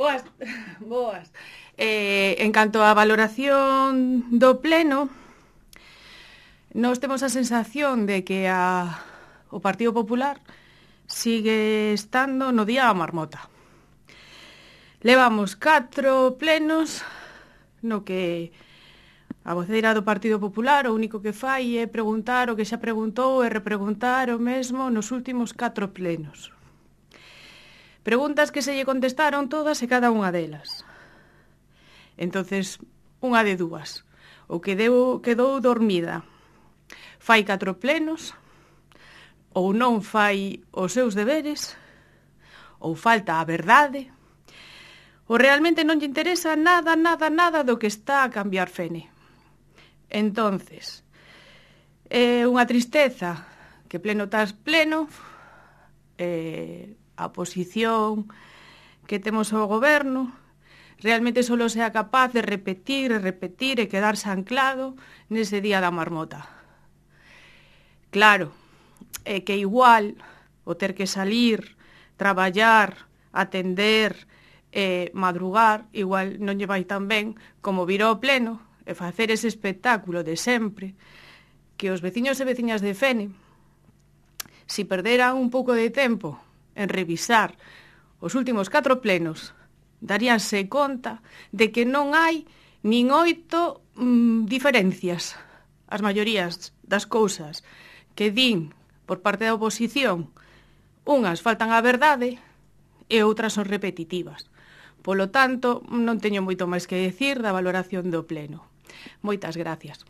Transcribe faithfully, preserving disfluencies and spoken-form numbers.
Boas, boas. Eh, en canto á valoración do pleno, nós temos a sensación de que a, o Partido Popular sigue estando no día da marmota. Levamos catro plenos no que a voceira do Partido Popular o único que fai é preguntar o que xa preguntou e repreguntar o mesmo nos últimos catro plenos. Preguntas que se lle contestaron todas e cada unha delas. Entonces, unha de dúas. O que deu, quedou dormida fai catro plenos, ou non fai os seus deberes, ou falta a verdade, ou realmente non lle interesa nada, nada, nada do que está a cambiar Fene. Entonces, é unha tristeza que pleno tras pleno, eh, a posición que temos ao goberno realmente só sea capaz de repetir e repetir e quedarse anclado nese día da marmota. Claro, é que igual o ter que salir, traballar, atender, eh, madrugar, igual non lle vai tan ben como vir ao pleno e facer ese espectáculo de sempre que os veciños e veciñas de Fene, si perderan un pouco de tempo en revisar os últimos catro plenos, daríanse conta de que non hai nin oito mm, diferencias. As maiorías das cousas que din por parte da oposición, unhas faltan á verdade e outras son repetitivas. Polo tanto, non teño moito máis que decir da valoración do pleno. Moitas gracias.